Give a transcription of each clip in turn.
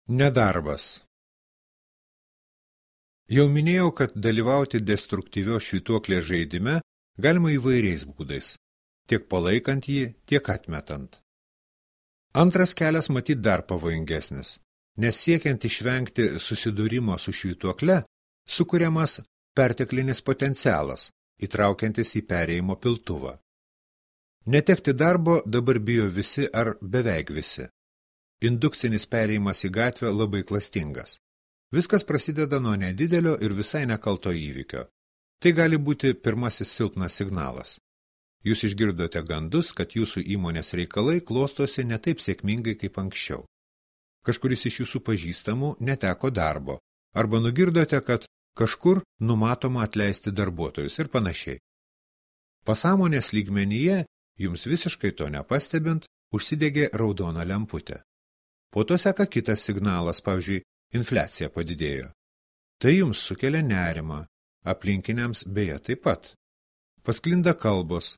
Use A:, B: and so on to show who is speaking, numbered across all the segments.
A: Nedarbas. Jau minėjau, kad dalyvauti destruktyvios švytuoklės žaidime galima įvairiais būdais, tiek palaikant jį, tiek atmetant. Antras kelias matyt dar pavojingesnis, nes siekiant išvengti susidūrimo su švytuokle, sukuriamas perteklinis potencialas, įtraukiantis į perėjimo piltuvą. Netekti darbo dabar bijo visi ar beveik visi. Indukcinis perėjimas į gatvę labai klastingas. Viskas prasideda nuo nedidelio ir visai nekalto įvykio. Tai gali būti pirmasis silpnas signalas. Jūs išgirdote gandus, kad jūsų įmonės reikalai klostosi ne taip sėkmingai kaip anksčiau. Kažkuris iš jūsų pažįstamų neteko darbo, arba nugirdote, kad kažkur numatoma atleisti darbuotojus ir panašiai. Pasąmonės lygmenyje, jums visiškai to nepastebint, užsidegė raudona lemputė. Po to seka kitas signalas, pavyzdžiui, infliacija padidėjo. Tai jums sukelia nerimą, aplinkiniams beje taip pat. Pasklinda kalbos,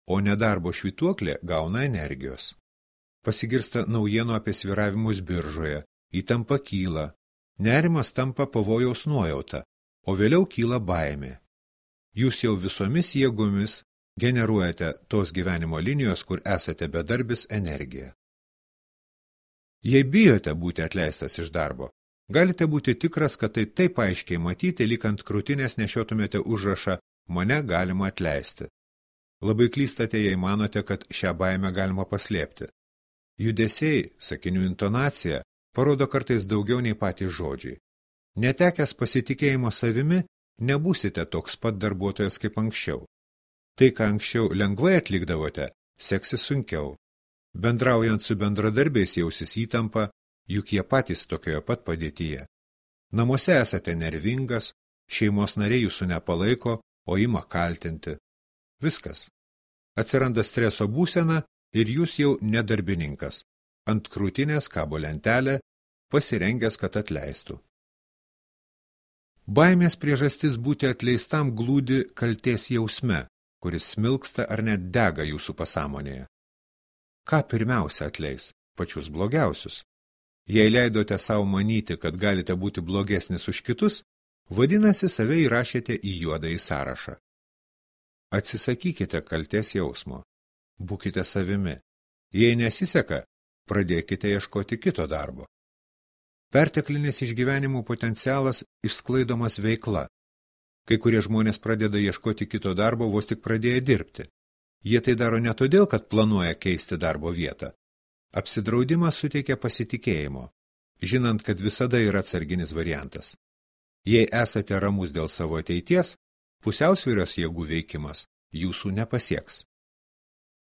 A: o nedarbo švytuoklė gauna energijos. Pasigirsta naujienų apie sviravimus biržoje, įtampa kyla, nerimas tampa pavojaus nuojauta, o vėliau kyla baimė. Jūs jau visomis jėgomis generuojate tos gyvenimo linijos, kur esate bedarbis energiją. Jei bijote būti atleistas iš darbo, galite būti tikras, kad tai taip aiškiai matyti, lyg ant krūtinės nešiotumėte užrašą "Mane galima atleisti". Labai klystate, jei manote, kad šią baimę galima paslėpti. Judesiai, sakinių intonacija parodo kartais daugiau nei patys žodžiai. Netekęs pasitikėjimo savimi, nebūsite toks pat darbuotojas kaip anksčiau. Tai, ką anksčiau lengvai atlikdavote, seksis sunkiau. Bendraujant su bendradarbiais jausis įtampa, juk jie patys tokioje pat padėtyje. Namuose esate nervingas, šeimos nariai jūsų nepalaiko, o ima kaltinti. Viskas. Atsiranda streso būsena ir jūs jau nedarbininkas. Ant krūtinės kabo lentelė, pasirengęs, kad atleistų. Baimės priežastis būti atleistam glūdi kaltės jausme, kuris smilksta ar net dega jūsų pasąmonėje. Ką pirmiausia atleis? Pačius blogiausius. Jei leidote savo manyti, kad galite būti blogesnis už kitus, vadinasi, save įrašėte į juodąjį sąrašą. Atsisakykite kaltės jausmo. Būkite savimi. Jei nesiseka, pradėkite ieškoti kito darbo. Perteklinis išgyvenimų potencialas išsklaidomas veikla. Kai kurie žmonės pradeda ieškoti kito darbo vos tik pradėję dirbti. Jie tai daro ne todėl, kad planuoja keisti darbo vietą. Apsidraudimas suteikia pasitikėjimo, žinant, kad visada yra atsarginis variantas. Jei esate ramus dėl savo ateities, pusiausvyros jėgų veikimas jūsų nepasieks.